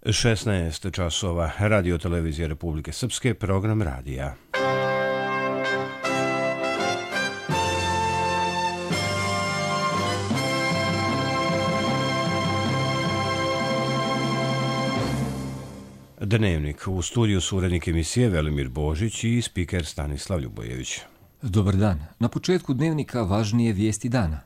16 časova, Radio televizije Republike Srpske, program radija. Dnevnik. U studiju su urednik emisije Velimir Božić i spiker Stanislav Ljubojević. Dobar dan. Na početku dnevnika važnije vijesti dana.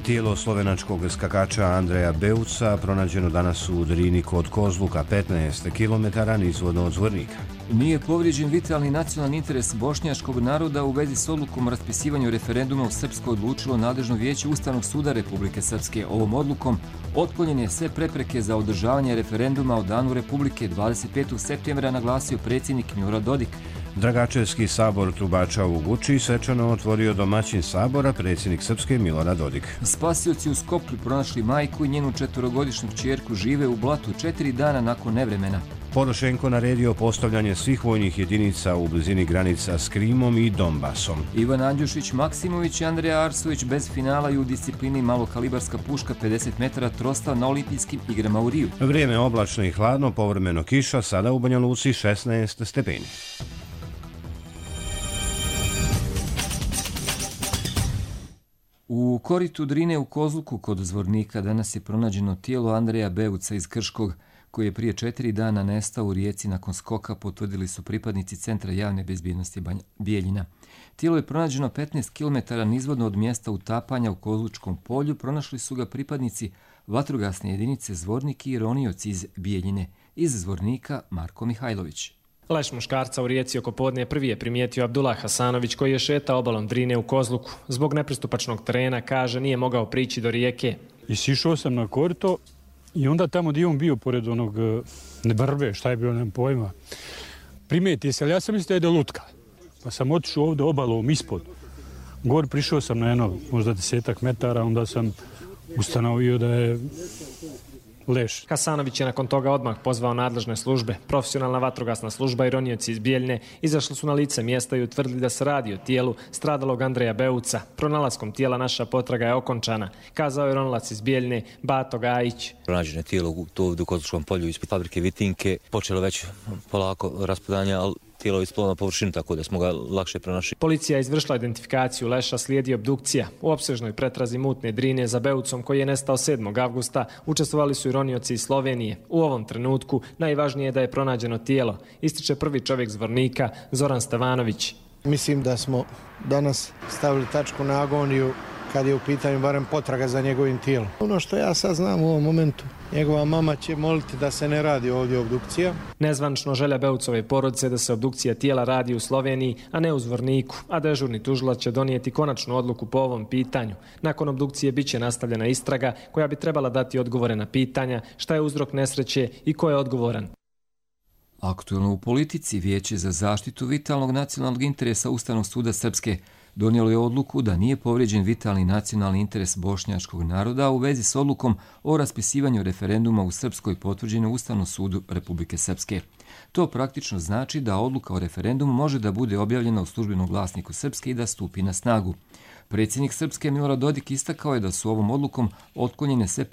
Tijelo slovenačkog skakača Andreja Beuca pronađeno danas u Drini kod Kozluka, 15 km nizvodno od Zvornika. Nije povrijeđen vitalni nacionalni interes bošnjačkog naroda u vezi s odlukom o raspisivanju referenduma u Srpskoj odlučilo nadležno vijeće Ustavnog suda Republike Srpske. Ovom odlukom otklonjene sve prepreke za održavanje referenduma o Danu Republike 25. septembra, naglasio predsjednik Milorad Dodik. Dragačevski sabor Trubača u Guči svečano otvorio domaćin sabora predsjednik Srpske Milorad Dodik. Spasioci u Skoplju pronašli majku i njenu 4-godišnju kćerku, žive u blatu 4 dana nakon nevremena. Porošenko naredio postavljanje svih vojnih jedinica u blizini granica s Krimom i Donbasom. Ivan Andjušić Maksimović i Andreja Arsović bez finala i u disciplini malokalibarska puška 50 metara trosta na olimpijskim igrama u Riju. Vrijeme oblačno i hladno, povremeno kiša, sada u Banja Luci 16 stepeni. U koritu Drine u Kozluku kod Zvornika danas je pronađeno tijelo Andreja Beuca iz Krškog, koji je prije 4 dana nestao u rijeci nakon skoka, potvrdili su pripadnici Centra javne bezbjednosti Bijeljina. Tijelo je pronađeno 15 km nizvodno od mjesta utapanja u Kozlučkom polju. Pronašli su ga pripadnici vatrogasne jedinice Zvornik i ronioci iz Bijeljine. Iz Zvornika Marko Mihajlović. Leš muškarca u rijeci oko podne prvi je primijetio Abdullah Hasanović, koji je šetao obalom Drine u Kozluku. Zbog nepristupačnog terena, kaže, nije mogao prići do rijeke. I sišao sam na korito i onda tamo gdje on bio pored onog nebrve, šta je bilo, nemam pojma, primijeti se, ali ja sam mislio da je lutka. Pa sam otišao ovdje obalom ispod. Gor prišao sam na jedno, možda 10 metara, onda sam ustanovio da je Leš. Hasanović je nakon toga odmah pozvao nadležne službe. Profesionalna vatrogasna služba i ronioci iz Bijeljne izašli su na lice mjesta i utvrdili da se radi o tijelu stradalog Andreja Beuca. Pronalaskom tijela naša potraga je okončana, kazao je ronilac iz Bijeljne Bato Gajić. Pronađeno je tijelo u Kozlučkom polju ispred fabrike Vitinke. Počelo već polako raspadanje, ali tijelo je ispalo na površinu, tako da smo ga lakše pronašli. Policija je izvršila identifikaciju Leša, slijedi obdukcija. U opsežnoj pretrazi mutne Drine za Beucom, koji je nestao 7. avgusta, učestvovali su i ronioci iz Slovenije. U ovom trenutku najvažnije je da je pronađeno tijelo, ističe prvi čovjek Zvornika, Zoran Stevanović. Mislim da smo danas stavili tačku na agoniju kad je u pitanju barem potraga za njegovim tijelom. Ono što ja sad znam u ovom momentu, njegova mama će moliti da se ne radi ovdje obdukcija. Nezvanično želja Beucove porodice da se obdukcija tijela radi u Sloveniji, a ne u Zvorniku, a dežurni tužilac će donijeti konačnu odluku po ovom pitanju. Nakon obdukcije bit će nastavljena istraga koja bi trebala dati odgovore na pitanja šta je uzrok nesreće i ko je odgovoran. Aktualno u politici, Vijeće za zaštitu vitalnog nacionalnog interesa Ustavnog suda Srpske donijelo je odluku da nije povrijeđen vitalni nacionalni interes bošnjačkog naroda u vezi s odlukom o raspisivanju referenduma u Srpskoj potvrđenoj u Ustavnom sudu Republike Srpske. To praktično znači da odluka o referendumu može da bude objavljena u službenom glasniku Srpske i da stupi na snagu. Predsjednik Srpske Milorad Dodik istakao je da su ovom odlukom otklonjene sve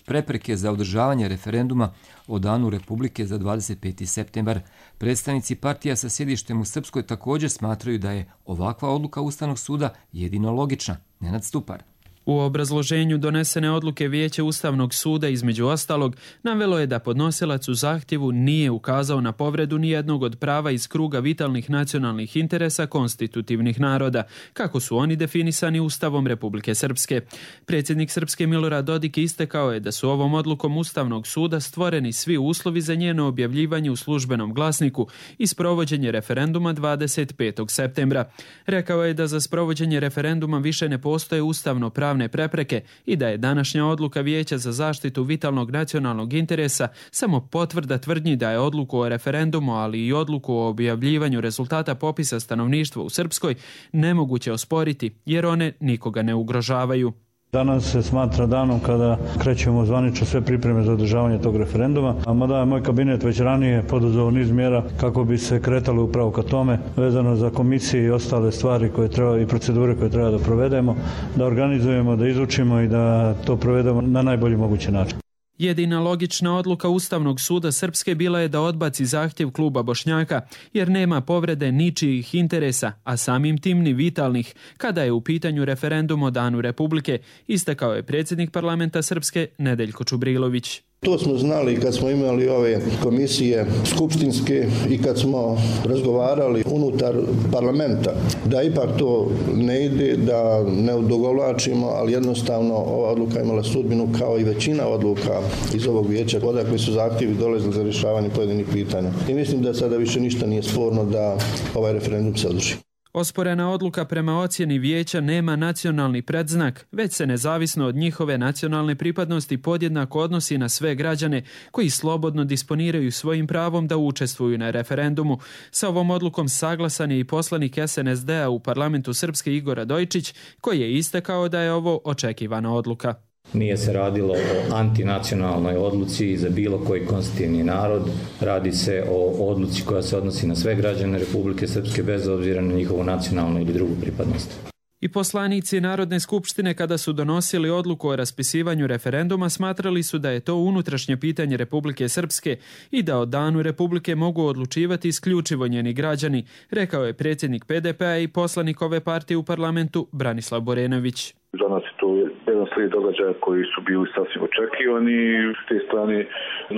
prepreke za održavanje referenduma o Danu Republike za 25. septembar. Predstavnici partija sa sjedištem u Srpskoj također smatraju da je ovakva odluka Ustavnog suda jedino logična. Nenad Stupar. U obrazloženju donesene odluke Vijeće Ustavnog suda između ostalog navelo je da podnosilac u zahtjevu nije ukazao na povredu nijednog od prava iz kruga vitalnih nacionalnih interesa konstitutivnih naroda, kako su oni definisani Ustavom Republike Srpske. Predsjednik Srpske Milorad Dodik istakao je da su ovom odlukom Ustavnog suda stvoreni svi uslovi za njeno objavljivanje u službenom glasniku i sprovođenje referenduma 25. septembra. Rekao je da za sprovođenje referenduma više ne postoje ustavno pravne prepreke i da je današnja odluka Vijeća za zaštitu vitalnog nacionalnog interesa samo potvrda tvrdnji da je odluku o referendumu, ali i odluku o objavljivanju rezultata popisa stanovništva u Srpskoj nemoguće osporiti jer one nikoga ne ugrožavaju. Danas se smatra danom kada krećemo zvanično sve pripreme za održavanje tog referenduma, a mada je moj kabinet već ranije poduzeo niz mjera kako bi se kretalo upravo ka tome, vezano za komisije i ostale stvari koje treba i procedure koje treba da provedemo, da organizujemo, da izučimo i da to provedemo na najbolji mogući način. Jedina logična odluka Ustavnog suda Srpske bila je da odbaci zahtjev kluba Bošnjaka, jer nema povrede ničijih interesa, a samim tim ni vitalnih, kada je u pitanju referendum o Danu Republike, istakao je predsjednik parlamenta Srpske Nedeljko Čubrilović. To smo znali kad smo imali ove komisije skupštinske i kad smo razgovarali unutar parlamenta, da ipak to ne ide, da ne odugovlačimo, ali jednostavno ova odluka imala sudbinu kao i većina odluka iz ovog vijeća, odakle su zahtjevi dolazili za rješavanje pojedinih pitanja. I mislim da sada više ništa nije sporno da ovaj referendum se održi. Osporena odluka prema ocjeni vijeća nema nacionalni predznak, već se nezavisno od njihove nacionalne pripadnosti podjednako odnosi na sve građane koji slobodno disponiraju svojim pravom da učestvuju na referendumu. Sa ovom odlukom saglasan je i poslanik SNSD-a u parlamentu Srpske Igor Radojčić, koji je istakao da je ovo očekivana odluka. Nije se radilo o antinacionalnoj odluci za bilo koji konstitutivni narod. Radi se o odluci koja se odnosi na sve građane Republike Srpske bez obzira na njihovu nacionalnu ili drugu pripadnost. I poslanici Narodne skupštine kada su donosili odluku o raspisivanju referenduma smatrali su da je to unutrašnje pitanje Republike Srpske i da o Danu Republike mogu odlučivati isključivo njeni građani, rekao je predsjednik PDP-a i poslanik ove partije u parlamentu Branislav Borenović. Za nas je to jedan slijed događaja koji su bili sasvim očekivani. S te strane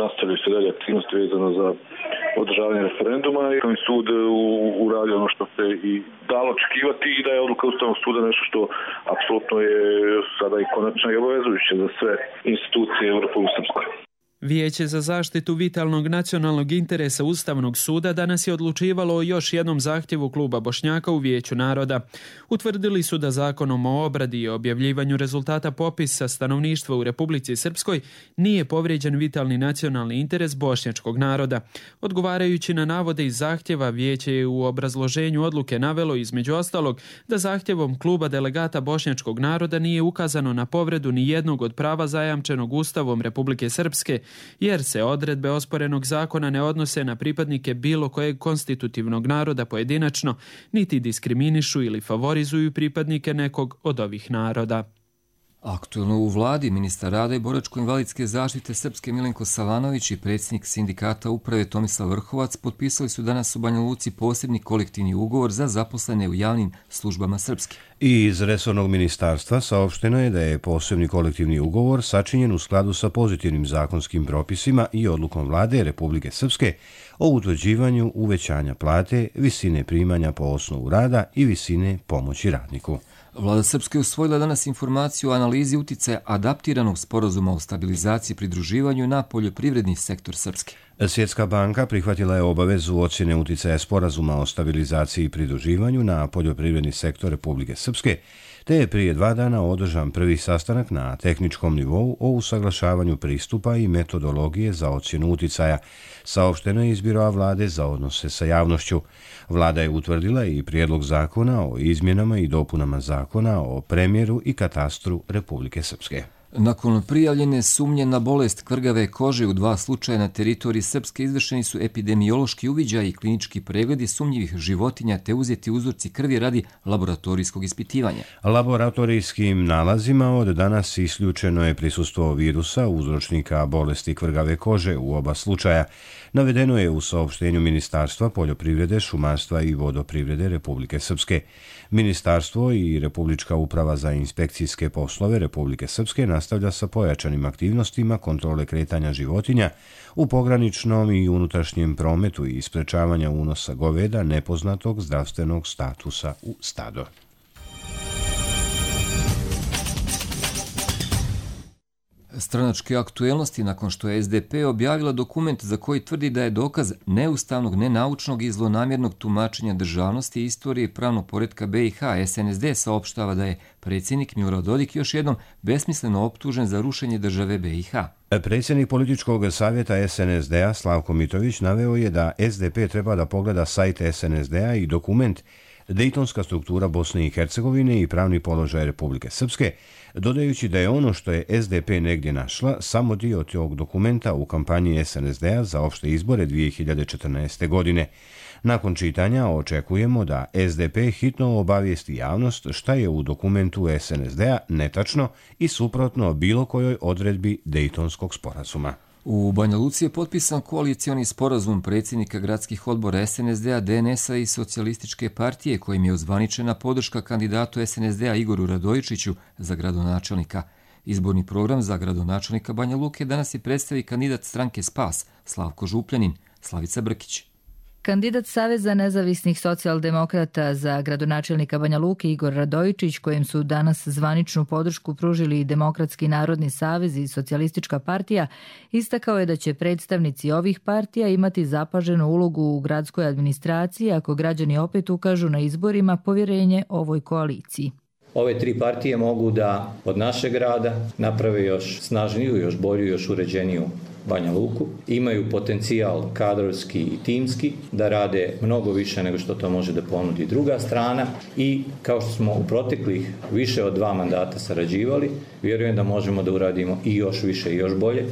nastavljaju se dalje aktivnosti vezano za održavanje referenduma i sud uradio ono što se i dalo očekivati i da je odluka Ustavnog suda nešto što apsolutno je sada i konačno i obavezujuće za sve institucije u Republici Srpskoj. Vijeće za zaštitu vitalnog nacionalnog interesa Ustavnog suda danas je odlučivalo o još jednom zahtjevu kluba Bošnjaka u Vijeću naroda. Utvrdili su da zakonom o obradi i objavljivanju rezultata popisa stanovništva u Republici Srpskoj nije povrijeđen vitalni nacionalni interes bošnjačkog naroda. Odgovarajući na navode iz zahtjeva, Vijeće je u obrazloženju odluke navelo između ostalog da zahtjevom kluba delegata bošnjačkog naroda nije ukazano na povredu ni jednog od prava zajamčenog Ustavom Republike Srpske, jer se odredbe osporenog zakona ne odnose na pripadnike bilo kojeg konstitutivnog naroda pojedinačno, niti diskriminišu ili favorizuju pripadnike nekog od ovih naroda. Aktuelno u vladi ministar rada i boračko-invalidske zaštite Srpske Milenko Savanović i predsjednik sindikata uprave Tomislav Vrhovac potpisali su danas u Banja Luci posebni kolektivni ugovor za zaposlene u javnim službama Srpske. I iz resornog ministarstva saopšteno je da je posebni kolektivni ugovor sačinjen u skladu sa pozitivnim zakonskim propisima i odlukom vlade Republike Srpske o utvrđivanju uvećanja plate, visine primanja po osnovu rada i visine pomoći radniku. Vlada Srpske usvojila danas informaciju o analizi uticaja adaptiranog sporazuma o stabilizaciji i pridruživanju na poljoprivredni sektor Srpske. Svjetska banka prihvatila je obavezu ocjene uticaja sporazuma o stabilizaciji i pridruživanju na poljoprivredni sektor Republike Srpske, te je prije 2 dana održan prvi sastanak na tehničkom nivou o usaglašavanju pristupa i metodologije za ocjenu uticaja, saopšteno je iz Biroa vlade za odnose sa javnošću. Vlada je utvrdila i prijedlog zakona o izmjenama i dopunama zakona o premjeru i katastru Republike Srpske. Nakon prijavljene sumnje na bolest kvrgave kože u 2 slučaja na teritoriji Srpske izvršeni su epidemiološki uviđaji i klinički pregledi sumnjivih životinja te uzeti uzorci krvi radi laboratorijskog ispitivanja. Laboratorijskim nalazima od danas isključeno je prisustvo virusa uzročnika bolesti kvrgave kože u oba slučaja. Navedeno je u saopštenju Ministarstva poljoprivrede, šumarstva i vodoprivrede Republike Srpske. Ministarstvo i Republička uprava za inspekcijske poslove Republike Srpske nastavlja sa pojačanim aktivnostima kontrole kretanja životinja u pograničnom i unutrašnjem prometu i sprečavanja unosa goveda nepoznatog zdravstvenog statusa u stado. Stranačke aktuelnosti nakon što je SDP objavila dokument za koji tvrdi da je dokaz neustavnog, nenaučnog i zlonamjernog tumačenja državnosti i istorije i pravnog poretka BiH, SNSD saopštava da je predsjednik Milorad Dodik još jednom besmisleno optužen za rušenje države BiH. Predsjednik političkog savjeta SNSD-a Slavko Mitović naveo je da SDP treba da pogleda sajt SNSD-a i dokument dejtonska struktura Bosne i Hercegovine i pravni položaj Republike Srpske, dodajući da je ono što je SDP negdje našla samo dio tog dokumenta u kampanji SNSD-a za opšte izbore 2014. godine. Nakon čitanja očekujemo da SDP hitno obavijesti javnost šta je u dokumentu SNSD-a netačno i suprotno bilo kojoj odredbi Dejtonskog sporazuma. U Banja Luci je potpisan koalicioni sporazum predsjednika gradskih odbora SNSD-a, DNS-a i Socijalističke partije kojim je ozvaničena podrška kandidatu SNSD-a Igoru Radojičiću za gradonačelnika. Izborni program za gradonačelnika Banja Luke danas je predstavi kandidat stranke Spas Slavko Župljanin. Slavica Brkić. Kandidat Saveza nezavisnih socijaldemokrata za gradonačelnika Banja Luke Igor Radojičić, kojem su danas zvaničnu podršku pružili i Demokratski narodni savez i Socijalistička partija, istakao je da će predstavnici ovih partija imati zapaženu ulogu u gradskoj administraciji ako građani opet ukažu na izborima povjerenje ovoj koaliciji. Ove tri partije mogu da od našeg grada naprave još snažniju, još bolju, još uređeniju Banja Luku. Imaju potencijal kadrovski i timski da rade mnogo više nego što to može da ponudi druga strana i kao što smo u proteklih više od 2 mandata sarađivali, vjerujem da možemo da uradimo i još više i još bolje.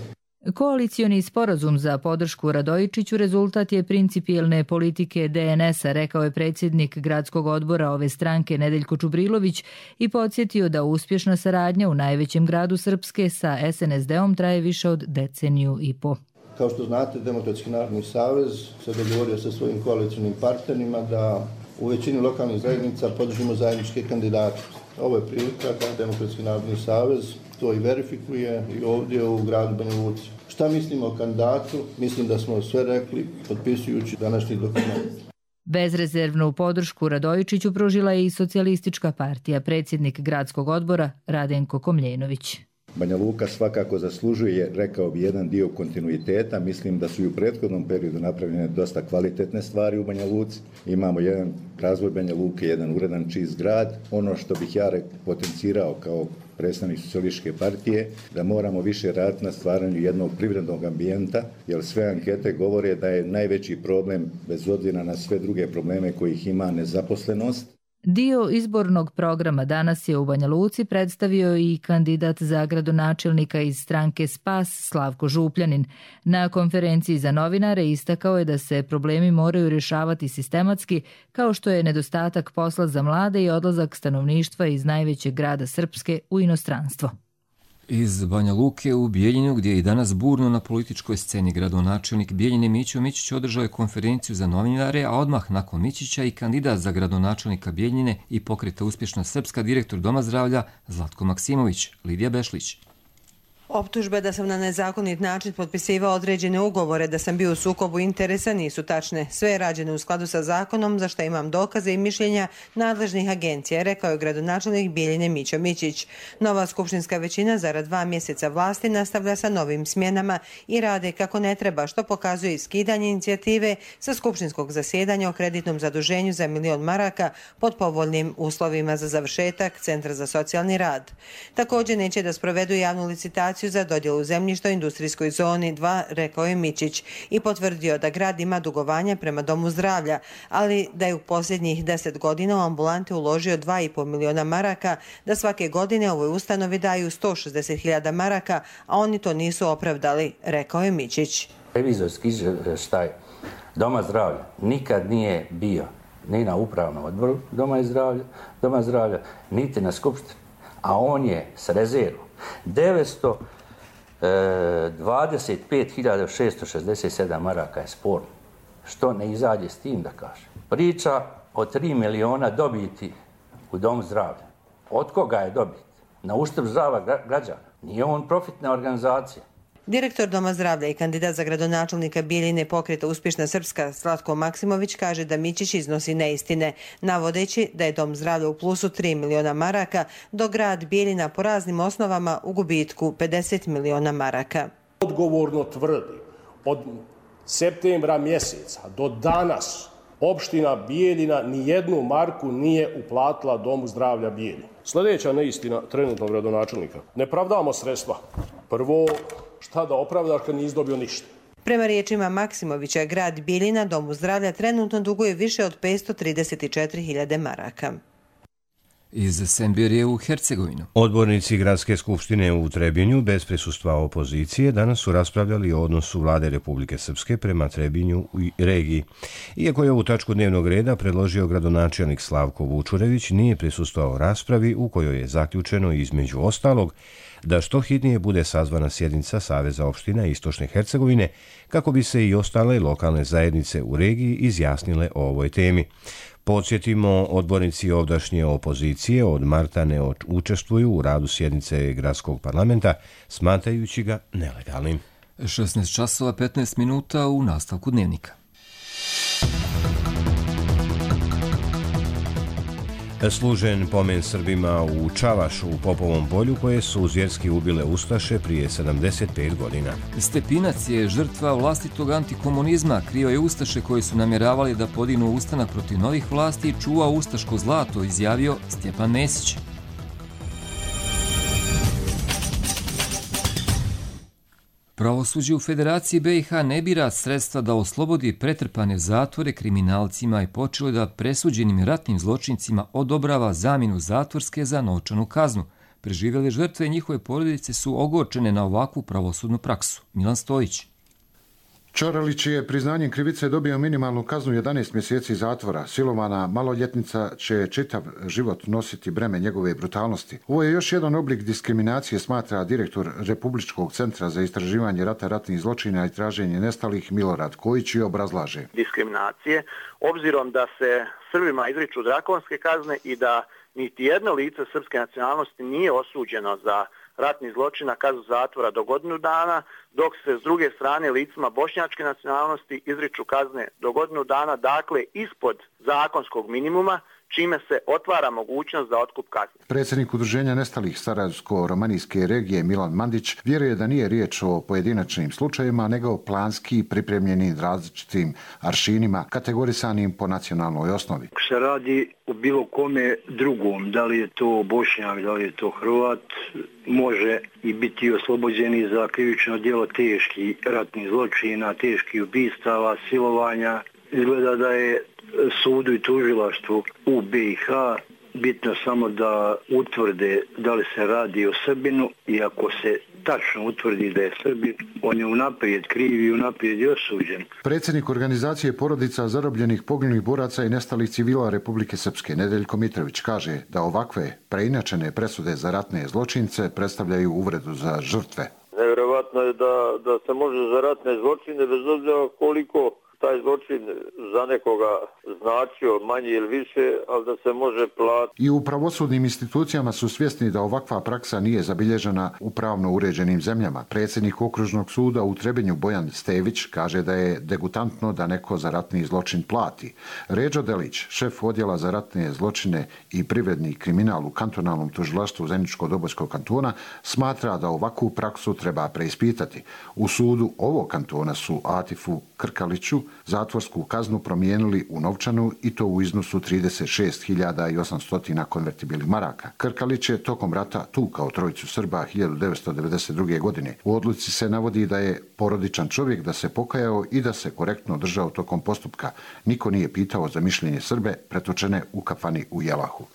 Koalicioni sporazum za podršku Radojičiću rezultat je principijelne politike DNS-a, rekao je predsjednik gradskog odbora ove stranke Nedeljko Čubrilović i podsjetio da uspješna saradnja u najvećem gradu Srpske sa SNSD-om traje više od deceniju i po. Kao što znate, Demokratski narodni savez se dogovorio sa svojim koalicijnim partnerima da u većini lokalnih zajednica podržimo zajedničke kandidate. Ovo je prilika da Demokratski narodni savez to i verifikuje i ovdje u gradu Banja Luci. Šta mislimo o kandidatu? Mislim da smo sve rekli potpisujući današnji dokument. Bezrezervnu podršku Radojičiću pružila je i Socijalistička partija, predsjednik gradskog odbora Radenko Komljenović. Banja Luka svakako zaslužuje, rekao bi, jedan dio kontinuiteta. Mislim da su i u prethodnom periodu napravljene dosta kvalitetne stvari u Banja Luci. Imamo jedan razvoj Banja Luke, jedan uredan čist grad. Ono što bih ja potencirao kao predstavnik Socijalističke partije, da moramo više raditi na stvaranju jednog privrednog ambijenta, jer sve ankete govore da je najveći problem, bez obzira na sve druge probleme kojih ima, nezaposlenost. Dio izbornog programa danas je u Banja Luci predstavio i kandidat za gradonačelnika iz stranke Spas Slavko Župljanin. Na konferenciji za novinare istakao je da se problemi moraju rješavati sistematski, kao što je nedostatak posla za mlade i odlazak stanovništva iz najvećeg grada Srpske u inostranstvo. Iz Banja Luke u Bijeljinu, gdje je i danas burno na političkoj sceni, gradonačelnik Bijeljine Mićo Mićić održao je konferenciju za novinare, a odmah nakon Mićića i kandidat za gradonačelnika Bijeljine i pokreta Uspješna Srpska, direktor Doma zdravlja Zlatko Maksimović. Lidija Bešlić. Optužbe da sam na nezakonit način potpisivao određene ugovore, da sam bio u sukobu interesa nisu tačne. Sve je rađeno u skladu sa zakonom, za što imam dokaze i mišljenja nadležnih agencija, rekao je gradonačelnik Bijeljine Mićo Mićić. Nova skupštinska većina zarad 2 mjeseca vlasti nastavlja sa novim smjenama i rade kako ne treba, što pokazuje skidanje inicijative sa skupštinskog zasjedanja o kreditnom zaduženju za 1 milion maraka pod povoljnim uslovima za završetak Centra za socijalni rad. Također neće da sprovedu javnu licitaciju za dodjelu zemljišta u industrijskoj zoni 2, rekao je Mićić i potvrdio da grad ima dugovanja prema Domu zdravlja, ali da je u posljednjih 10 godina u ambulante uložio 2,5 miliona maraka, da svake godine ovoj ustanovi daju 160.000 maraka, a oni to nisu opravdali, rekao je Mićić. Revizorski izvještaj Doma zdravlja nikad nije bio ni na upravnom odboru Doma zdravlja, niti na skupštini, a on je s rezervom 925.667 maraka je sporno. Što ne izađe s tim, da kaže. Priča o 3 miliona dobiti u Domu zdravlja. Od koga je dobit? Na uštrb zdravlja građana. Nije on profitna organizacija. Direktor Doma zdravlja i kandidat za gradonačelnika Bijeljine pokreta Uspješna Srpska Zlatko Maksimović kaže da Mićić iznosi neistine, navodeći da je Dom zdravlja u plusu 3 miliona maraka, dok grad Bijeljina po raznim osnovama u gubitku 50 miliona maraka. Odgovorno tvrdi, od septembra mjeseca do danas opština Bijeljina ni jednu marku nije uplatila Domu zdravlja Bijeljina. Sljedeća neistina trenutnog gradonačelnika. Ne pravdamo sredstva. Prvo, šta da opravdaš kad nisi dobio ništa? Prema riječima Maksimovića, grad Bijeljina Domu zdravlja trenutno duguje više od 534.000 maraka. Iz Semberije u Hercegovinu. Odbornici Gradske skupštine u Trebinju bez prisustva opozicije danas su raspravljali o odnosu vlade Republike Srpske prema Trebinju i regiji. Iako je ovu tačku dnevnog reda predložio gradonačelnik Slavko Vučurević, nije prisustvovao raspravi u kojoj je zaključeno između ostalog da što hitnije bude sazvana sjednica Saveza opština Istočne Hercegovine kako bi se i ostale lokalne zajednice u regiji izjasnile o ovoj temi. Podsjetimo, odbornici ovdašnje opozicije od marta ne učestvuju u radu sjednice Gradskog parlamenta, smatrajući ga nelegalnim. 16 časova 15 minuta u nastavku dnevnika. Služen pomen Srbima u Čavašu u Popovom polju koje su zvjerski ubile ustaše prije 75 godina. Stepinac je žrtva vlastitog antikomunizma, krio je ustaše koji su namjeravali da podignu ustanak protiv novih vlasti i čuva ustaško zlato, izjavio Stjepan Mesić. Pravosuđe u Federaciji BiH ne bira sredstva da oslobodi pretrpane zatvore kriminalcima i počelo da presuđenim ratnim zločincima odobrava zamjenu zatvorske za novčanu kaznu. Preživjele žrtve i njihove porodice su ogorčene na ovakvu pravosudnu praksu. Milan Stojić. Čoralić je priznanjem krivice dobio minimalnu kaznu 11 mjeseci zatvora. Silovana maloljetnica će čitav život nositi breme njegove brutalnosti. Ovo je još jedan oblik diskriminacije, smatra direktor Republičkog centra za istraživanje rata, ratnih zločina i traženje nestalih Milorad Kojić i obrazlaže. Diskriminacije, obzirom da se Srbima izriču drakonske kazne i da niti jedno lice srpske nacionalnosti nije osuđeno za ratni zločin na kaznu zatvora do godinu dana, dok se s druge strane licima bošnjačke nacionalnosti izriču kazne do godinu dana, dakle ispod zakonskog minimuma, čime se otvara mogućnost za otkup kazne. Predsjednik Udruženja nestalih Sarajevsko-romanijske regije Milan Mandić vjeruje da nije riječ o pojedinačnim slučajevima, nego planski pripremljenim različitim aršinima, kategorisanim po nacionalnoj osnovi. Se radi o bilo kome drugom, da li je to Bošnjak, da li je to Hrvat, može i biti oslobođeni za krivično djelo teških ratnih zločina, teških ubistava, silovanja. Izgleda da je sudu i tužilaštvu u BiH bitno samo da utvrde da li se radi o Srbinu i ako se tačno utvrdi da je Srbin, on je unaprijed kriv i unaprijed je osuđen. Predsjednik organizacije porodica zarobljenih, poginulih boraca i nestalih civila Republike Srpske, Nedeljko Mitrović, kaže da ovakve preinačene presude za ratne zločince predstavljaju uvredu za žrtve. Nevjerovatno je da se može za ratne zločine, bez obzira koliko taj zločin za nekoga značio manje ili više, ali da se može platiti. I u pravosudnim institucijama su svjesni da ovakva praksa nije zabilježena u pravno uređenim zemljama. Predsjednik Okružnog suda u Trebinju Bojan Stević kaže da je degutantno da neko za ratni zločin plati. Ređo Delić, šef odjela za ratne zločine i privredni kriminal u kantonalnom tužilaštvu Zeničko-Dobojskog kantona, smatra da ovakvu praksu treba preispitati. U sudu ovog kantona su Atifu Krkaliću zatvorsku kaznu promijenili u novčanu i to u iznosu 36.800 konvertibilnih maraka. Krkalić je tokom rata tukao trojicu Srba 1992. godine. U odluci se navodi da je porodičan čovjek, da se pokajao i da se korektno držao tokom postupka. Niko nije pitao za mišljenje Srbe pretočene u kafani u Jelahu.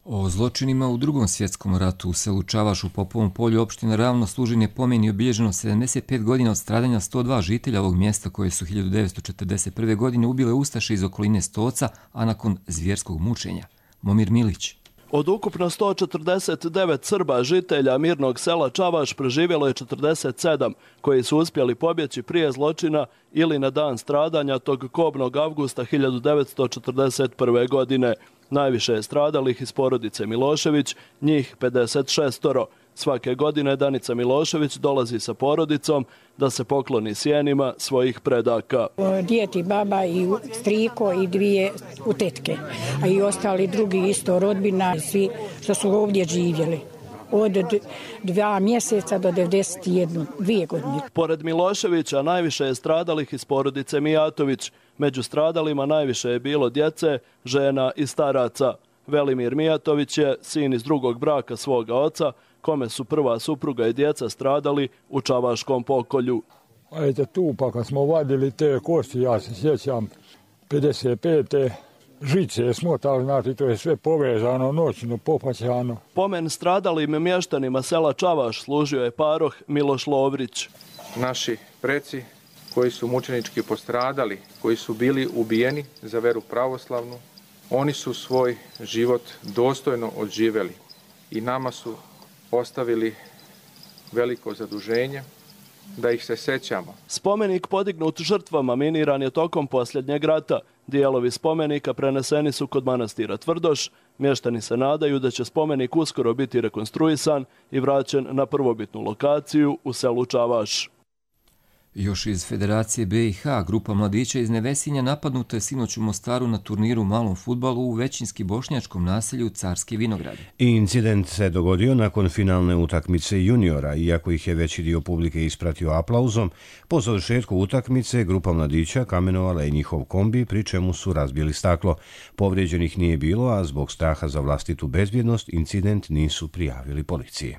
O zločinima u Drugom svjetskom ratu u selu Čavaš u Popovom polju opština Ravno služen je pomen i obilježeno 75 godina od stradanja 102 žitelja ovog mjesta koje su 1941. godine ubile ustaše iz okoline Stoca, a nakon zvjerskog mučenja. Momir Milić. Od ukupno 149 Srba žitelja mirnog sela Čavaš preživjelo je 47 koji su uspjeli pobjeći prije zločina ili na dan stradanja tog kobnog avgusta 1941. godine. Najviše je stradalih iz porodice Milošević, njih 56. Svake godine Danica Milošević dolazi sa porodicom da se pokloni sjenima svojih predaka. Dijeti baba i striko i dvije utetke, a i ostali drugi isto rodbina, svi što su ovdje živjeli. Od 2 mjeseca do 91 godine. Pored Miloševića najviše je stradalih iz porodice Mijatović. Među stradalima najviše je bilo djece, žena i staraca. Velimir Mijatović je sin iz drugog braka svoga oca, kome su prva supruga i djeca stradali u Čavaškom pokolju. A eto tu, pa kad smo vadili te kosti, ja se sjećam, 55. žice smotali, znači to je sve povezano, noćno, popaćano. Pomen stradalim mještanima sela Čavaš služio je paroh Miloš Lovrić. Naši preci koji su mučenički postradali, koji su bili ubijeni za veru pravoslavnu, oni su svoj život dostojno odživjeli i nama su ostavili veliko zaduženje da ih se sećamo. Spomenik podignut žrtvama miniran je tokom posljednjeg rata. Dijelovi spomenika preneseni su kod manastira Tvrdoš. Mještani se nadaju da će spomenik uskoro biti rekonstruisan i vraćen na prvobitnu lokaciju u selu Čavaš. Još iz Federacije BiH, grupa mladića iz Nevesinja napadnuta je sinoć u Mostaru na turniru u malom fudbalu u većinski bošnjačkom naselju Carski Vinogradi. Incident se dogodio nakon finalne utakmice juniora, iako ih je veći dio publike ispratio aplauzom. Po završetku utakmice grupa mladića kamenovala je njihov kombi, pri čemu su razbili staklo. Povrijeđenih nije bilo, a zbog straha za vlastitu bezbjednost incident nisu prijavili policiji.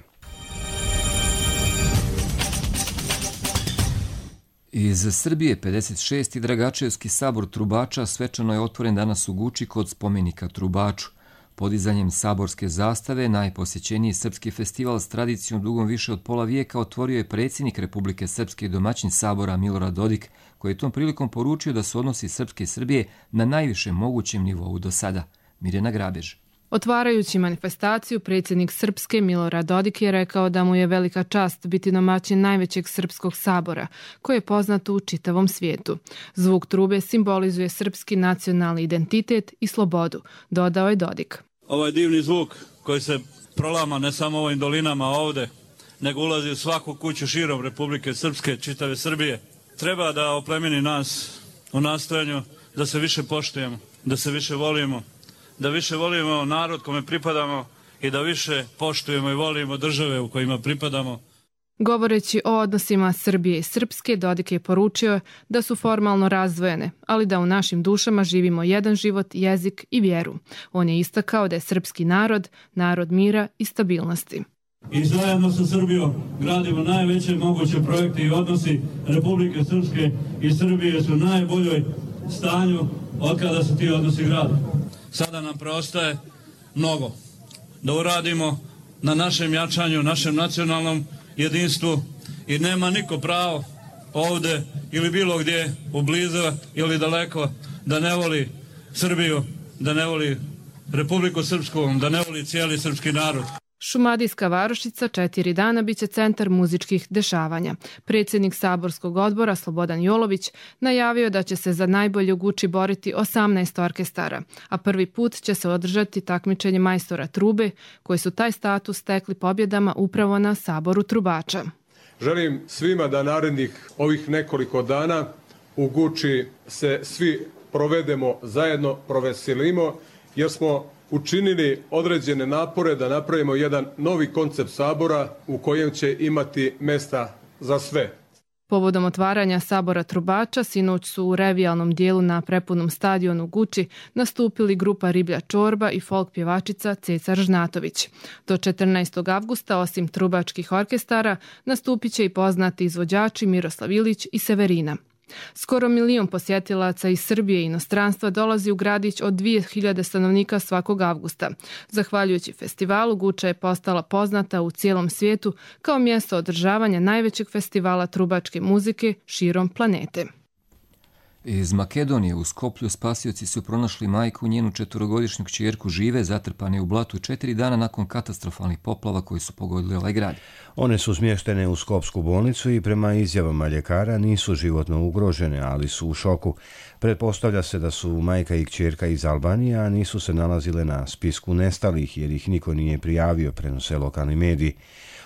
Iz Srbije 56. Dragačevski sabor trubača svečano je otvoren danas u Guči kod spomenika Trubaču. Podizanjem saborske zastave najposjećeniji srpski festival s tradicijom dugom više od pola vijeka otvorio je predsjednik Republike Srpske i domaćin sabora Milorad Dodik, koji je tom prilikom poručio da su odnosi Srpske i Srbije na najvišem mogućem nivou do sada. Mirjana Grabež. Otvarajući manifestaciju, predsjednik Srpske Milorad Dodik je rekao da mu je velika čast biti domaćin najvećeg srpskog sabora, koji je poznat u čitavom svijetu. Zvuk trube simbolizuje srpski nacionalni identitet i slobodu, dodao je Dodik. Ovaj divni zvuk koji se prolama ne samo ovim dolinama ovde, nego ulazi u svaku kuću širom Republike Srpske, čitave Srbije, treba da oplemeni nas u nastojanju da se više poštujemo, da se više volimo, da više volimo narod kome pripadamo i da više poštujemo i volimo države u kojima pripadamo. Govoreći o odnosima Srbije i Srpske, Dodik je poručio da su formalno razdvojene, ali da u našim dušama živimo jedan život, jezik i vjeru. On je istakao da je srpski narod, narod mira i stabilnosti. I zajedno sa Srbijom gradimo najveće moguće projekte i odnosi Republike Srpske i Srbije su u najboljoj stanju od kada se ti odnosi grade. Sada nam preostaje mnogo da uradimo na našem jačanju, našem nacionalnom jedinstvu i nema niko pravo ovde ili bilo gdje u blizu ili daleko da ne voli Srbiju, da ne voli Republiku Srpsku, da ne voli cijeli srpski narod. Šumadijska varošica 4 dana biće centar muzičkih dešavanja. Predsjednik saborskog odbora Slobodan Jolović najavio da će se za najbolje u Guči boriti 18 orkestara, a prvi put će se održati takmičenje majstora trube, koji su taj status stekli pobjedama upravo na saboru trubača. Želim svima da narednih ovih nekoliko dana u Guči se svi provedemo zajedno, proveselimo, jer smo učinili određene napore da napravimo jedan novi koncept sabora u kojem će imati mjesta za sve. Povodom otvaranja sabora trubača, sinoć su u revijalnom dijelu na prepunom stadionu Guči nastupili grupa Riblja čorba i folk pjevačica Ceca Žnatović. Do 14. avgusta, osim trubačkih orkestara, nastupit će i poznati izvođači Miroslav Ilić i Severina. Skoro 1 milion posjetilaca iz Srbije i inostranstva dolazi u gradić od 2000 stanovnika svakog avgusta. Zahvaljujući festivalu, Guča je postala poznata u cijelom svijetu kao mjesto održavanja najvećeg festivala trubačke muzike širom planete. Iz Makedonije u Skoplju spasioci su pronašli majku, njenu 4-godišnju kćerku žive, zatrpane u blatu 4 dana nakon katastrofalnih poplava koji su pogodili ovaj grad. One su smještene u Skopsku bolnicu i prema izjavama ljekara nisu životno ugrožene, ali su u šoku. Pretpostavlja se da su majka i kćerka iz Albanije, a nisu se nalazile na spisku nestalih jer ih niko nije prijavio, prenose lokalni mediji.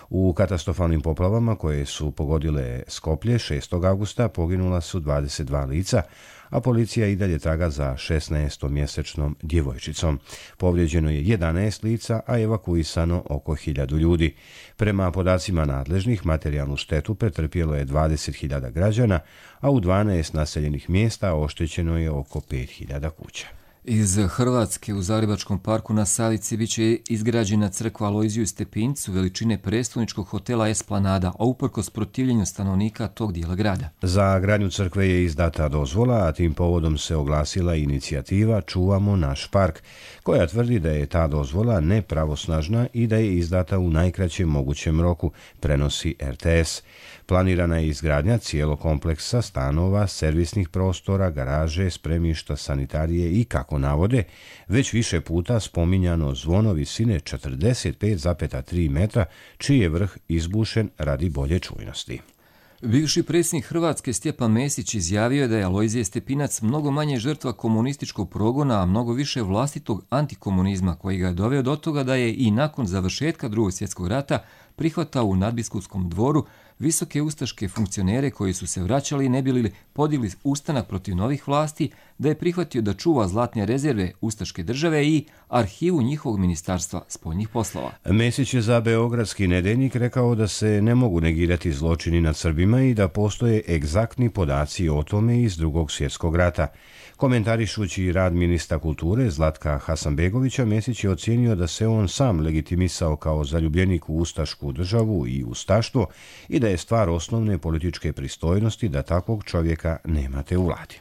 U katastrofalnim poplavama koje su pogodile Skoplje 6. avgusta poginula su 22 lica, a policija i dalje traga za 16-mjesečnom djevojčicom. Povrijeđeno je 11 lica, a evakuisano oko 1000 ljudi. Prema podacima nadležnih, materijalnu štetu pretrpjelo je 20.000 građana, a u 12 naseljenih mjesta oštećeno je oko 5.000 kuća. Iz Hrvatske u Zagrebačkom parku na Savici bit će izgrađena crkva Alojziju Stepincu veličine prestolničkog hotela Esplanada, a uprkos protivljenju stanovnika tog dijela grada. Za gradnju crkve je izdata dozvola, a tim povodom se oglasila inicijativa Čuvamo naš park, koja tvrdi da je ta dozvola nepravosnažna i da je izdata u najkraćem mogućem roku, prenosi RTS. Planirana je izgradnja cijelog kompleksa stanova, servisnih prostora, garaže, spremišta, sanitarije i, kako navode, već više puta spominjano zvono visine 45,3 metra, čiji je vrh izbušen radi bolje čujnosti. Bivši predsjednik Hrvatske Stjepan Mesić izjavio je da je Alojzije Stepinac mnogo manje žrtva komunističkog progona, a mnogo više vlastitog antikomunizma koji ga je doveo do toga da je i nakon završetka Drugog svjetskog rata prihvatao u nadbiskutskom dvoru visoke ustaške funkcionere koji su se vraćali i ne bili podigli ustanak protiv novih vlasti, da je prihvatio da čuva zlatne rezerve ustaške države i arhivu njihovog ministarstva spoljnih poslova. Mesić je za Beogradski nedeljnik rekao da se ne mogu negirati zločini nad Srbima i da postoje egzaktni podaci o tome iz Drugog svjetskog rata. Komentarišući rad ministra kulture Zlatka Hasanbegovića, Mesić je ocijenio da se on sam legitimisao kao zaljubljenik u ustašku državu i ustaštvo i da je stvar osnovne političke pristojnosti da takvog čovjeka nemate u vladi.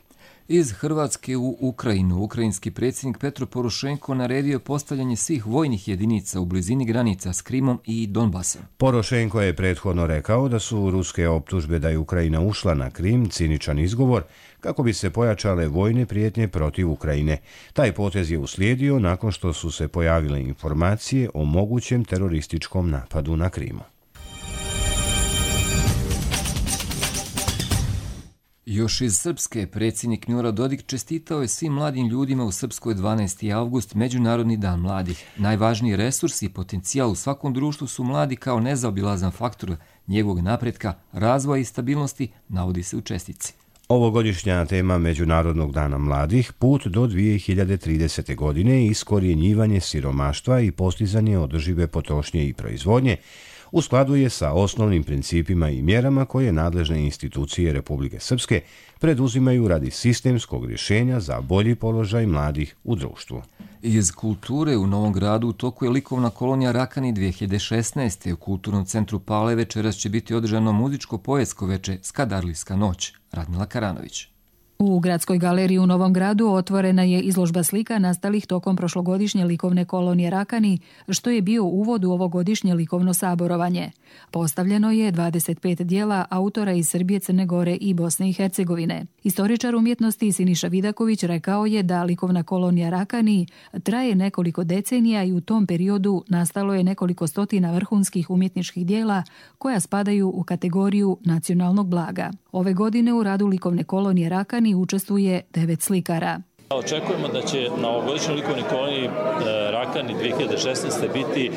Iz Hrvatske u Ukrajinu, ukrajinski predsjednik Petro Porošenko naredio postavljanje svih vojnih jedinica u blizini granica s Krimom i Donbasom. Porošenko je prethodno rekao da su ruske optužbe da je Ukrajina ušla na Krim ciničan izgovor kako bi se pojačale vojne prijetnje protiv Ukrajine. Taj potez je uslijedio nakon što su se pojavile informacije o mogućem terorističkom napadu na Krimu. Još iz Srpske, predsjednik Milorad Dodik čestitao je svim mladim ljudima u Srpskoj 12. avgust, Međunarodni dan mladih. Najvažniji resurs i potencijal u svakom društvu su mladi kao nezaobilazan faktor njegovog napretka, razvoja i stabilnosti, navodi se u čestici. Ovogodišnja tema Međunarodnog dana mladih, put do 2030. godine je iskorjenjivanje siromaštva i postizanje održive potrošnje i proizvodnje, u skladu je sa osnovnim principima i mjerama koje nadležne institucije Republike Srpske preduzimaju radi sistemskog rješenja za bolji položaj mladih u društvu. Iz kulture u Novom Gradu u toku je likovna kolonija Rakani 2016. U Kulturnom centru Pale večeras će biti održano muzičko-poetsko veče Skadarlijska noć. Radmila Karanović. U Gradskoj galeriji u Novom Gradu otvorena je izložba slika nastalih tokom prošlogodišnje likovne kolonije Rakani, što je bio uvod u ovogodišnje likovno saborovanje. Postavljeno je 25 dijela autora iz Srbije, Crne Gore i Bosne i Hercegovine. Istoričar umjetnosti Siniša Vidaković rekao je da likovna kolonija Rakani traje nekoliko decenija i u tom periodu nastalo je nekoliko stotina vrhunskih umjetničkih dijela koja spadaju u kategoriju nacionalnog blaga. Ove godine u radu likovne kolonije Rakani učestvuje 9 slikara. Očekujemo da će na ovogodišnjoj likovnoj koloniji Rakani 2016. biti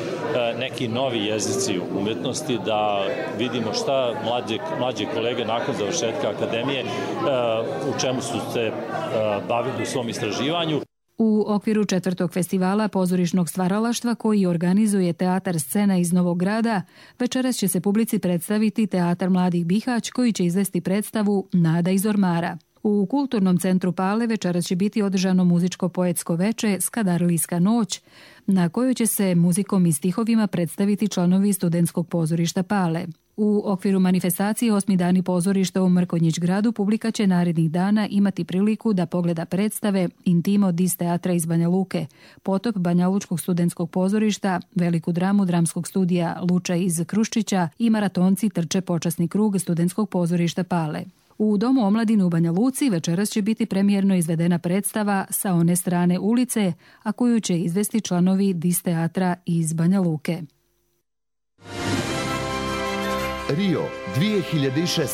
neki novi jezici umjetnosti, da vidimo šta mlađe kolege nakon završetka akademije, u čemu su se bavili u svom istraživanju. U okviru 4. festivala pozorišnog stvaralaštva koji organizuje Teatar Scena iz Novog Grada, večeras će se publici predstaviti Teatar Mladih Bihać koji će izvesti predstavu Nada iz ormara. U Kulturnom centru Pale večeras će biti održano muzičko-poetsko veče Skadarlijska noć, na kojoj će se muzikom i stihovima predstaviti članovi Studentskog pozorišta Pale. U okviru manifestacije 8. dani pozorišta u Mrkonjić gradu publika će narednih dana imati priliku da pogleda predstave Intimo dis teatra iz Banja Luke, Potop Banjalučkog studentskog pozorišta, veliku dramu dramskog studija Luča iz Kruščića i maratonci trče počasni krug Studentskog pozorišta Pale. U Domu omladine u Banja Luci večeras će biti premijerno izvedena predstava Sa one strane ulice, a koju će izvesti članovi dis teatra iz Banja Luke. Rio 2016.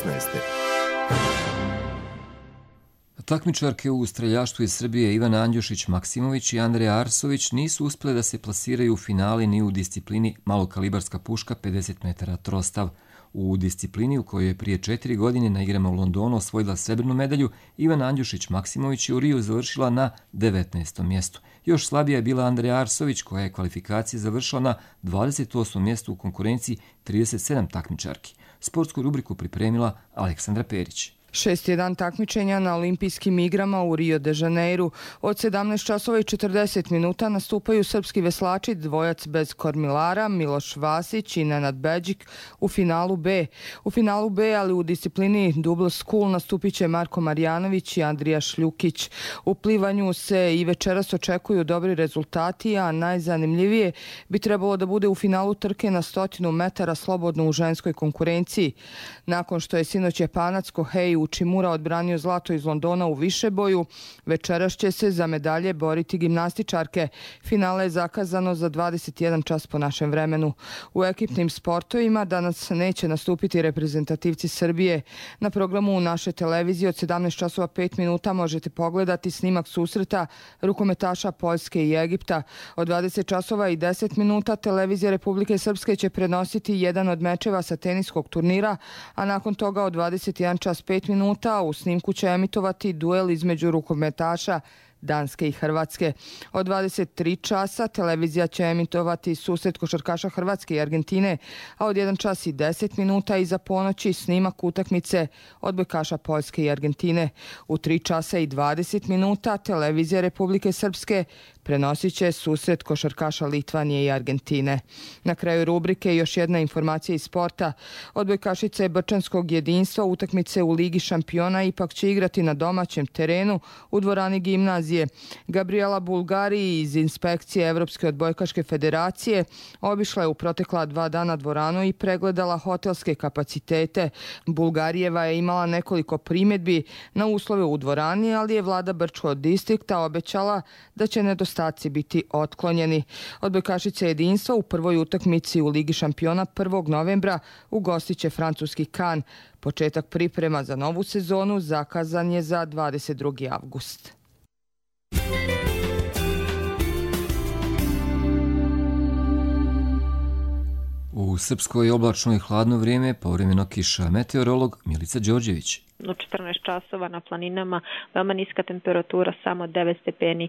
Takmičarke u streljaštvu iz Srbije Ivana Andjušić-Maksimović i Andreja Arsović nisu uspjele da se plasiraju u finali ni u disciplini malokalibarska puška 50 metara trostav. U disciplini u kojoj je prije 4 godine na igrama u Londonu osvojila srebrnu medalju, Ivana Andjušić-Maksimović je u Riju završila na 19. mjestu. Još slabija je bila Andreja Arsović koja je kvalifikacije završila na 28. mjestu u konkurenciji 37 takmičarki. Sportsku rubriku pripremila Aleksandra Perić. 6-1 takmičenja na olimpijskim igrama u Rio de Janeiru. Od 17 časova i 40 minuta nastupaju srpski veslači, dvojac bez kormilara, Miloš Vasić i Nenad Beđik u finalu B. U finalu B, ali u disciplini Double School, nastupit će Marko Marjanović i Andrija Šljukić. U plivanju se i večeras očekuju dobri rezultati, a najzanimljivije bi trebalo da bude u finalu trke na 100 metara slobodno u ženskoj konkurenciji. Nakon što je sinoć Japanac Kohei Uchimura odbranio zlato iz Londona u višeboju, večeras će se za medalje boriti gimnastičarke. Finale je zakazano za 21 čas po našem vremenu. U ekipnim sportovima danas neće nastupiti reprezentativci Srbije. Na programu naše televizije od 17 časova 5 minuta možete pogledati snimak susreta rukometaša Poljske i Egipta. Od 20 časova i 10 minuta televizija Republike Srpske će prenositi jedan od mečeva sa teniskog turnira, a nakon toga od 21 čas 5 minuta u snimku će emitovati duel između rukometaša Danske i Hrvatske. Od 23 časa televizija će emitovati susret košarkaša Hrvatske i Argentine, a od 1 čas i 10 minuta iza ponoći snimak utakmice odbojkaša Poljske i Argentine. U 3 časa i 20 minuta televizija Republike Srpske prenosit će susret košarkaša Litvanije i Argentine. Na kraju rubrike još jedna informacija iz sporta. Odbojkašice Brčanskog jedinstva utakmice u Ligi šampiona ipak će igrati na domaćem terenu u dvorani Gimnazije. Gabriela Bulgari iz inspekcije Evropske odbojkaške federacije obišla je u protekla 2 dana dvoranu i pregledala hotelske kapacitete. Bulgarijeva je imala nekoliko primjedbi na uslove u dvorani, ali je vlada Brčkog distrikta obećala da će nedostaci biti otklonjeni. Odbojkašice jedinstva u prvoj utakmici u Ligi šampiona 1. novembra ugostit će francuski Kan. Početak priprema za novu sezonu zakazan je za 22. avgust. U Srpskoj oblačno i hladno vrijeme, povremeno kiša. Meteorolog Milica Đorđević. U 14 časova na planinama veoma niska temperatura, samo 9 stepeni,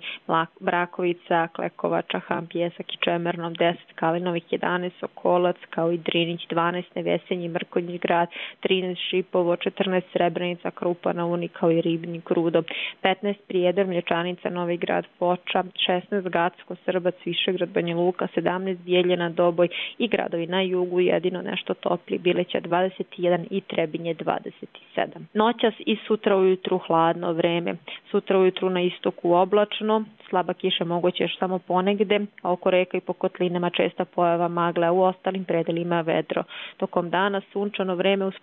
Brakovica, Klekova, Čahan, Pjesak i Čemernom 10, Kalinovih 11, Sokolac, kao i Drinić 12, Nevesenji, Mrkonjić grad 13, Šipovo 14, Srebrenica, Krupa na Uni, kao i Ribnik, Rudo 15, Prijedor, Mlječanica, Novi grad, Foča 16, Gacko, Srbac, Višegrad, Banja Luka 17, Bijeljina, Doboj i gradovi na jugu, jedino nešto topli, Bileća 21 i Trebinje 27. Noćas i sutra ujutru hladno vreme. Sutra ujutru na istoku oblačno, slaba kiša moguće još samo ponegde, a oko reka i po kotlinama česta pojava magle, a u ostalim predelima vedro. Tokom dana sunčano vreme uz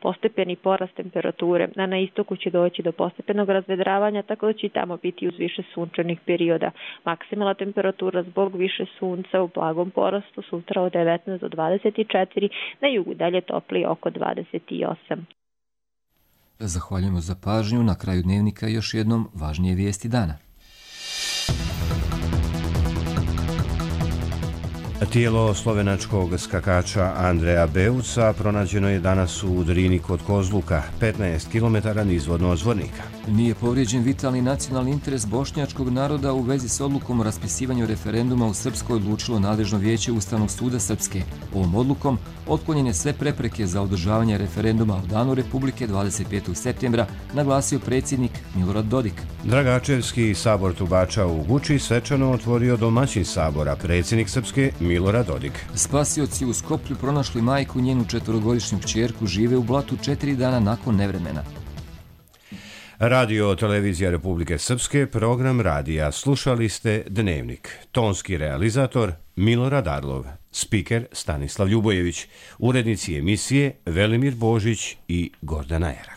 postepeni porast temperature, a na istoku će doći do postepenog razvedravanja, tako da će i tamo biti uz više sunčanih perioda. Maksimalna temperatura zbog više sunca u blagom porastu sutra od 19 do 24, na jugu dalje topli oko 28. Zahvaljujemo za pažnju. Na kraju dnevnika još jednom važnije vijesti dana. Tijelo slovenačkog skakača Andreja Beuca pronađeno je danas u Drini kod Kozluka, 15 km nizvodno od Zvornika. Nije povrijeđen vitalni nacionalni interes bošnjačkog naroda u vezi s odlukom o raspisivanju referenduma u Srpskoj, odlučilo nadležno vijeće Ustavnog suda Srpske. Ovom odlukom otklonjene sve prepreke za održavanje referenduma u danu Republike 25. septembra, naglasio predsjednik Milorad Dodik. Dragačevski sabor Trubača u Guči svečano otvorio domaćin sabora, predsjednik Srpske Milorad Dodik. Spasioci u Skoplju pronašli majku, njenu 4-godišnju kćerku, žive u blatu 4 dana nakon nevremena. Radio Televizija Republike Srpske, program radija. Slušali ste Dnevnik. Tonski realizator Milorad Arlov, spiker Stanislav Ljubojević, urednici emisije Velimir Božić i Gordana Era.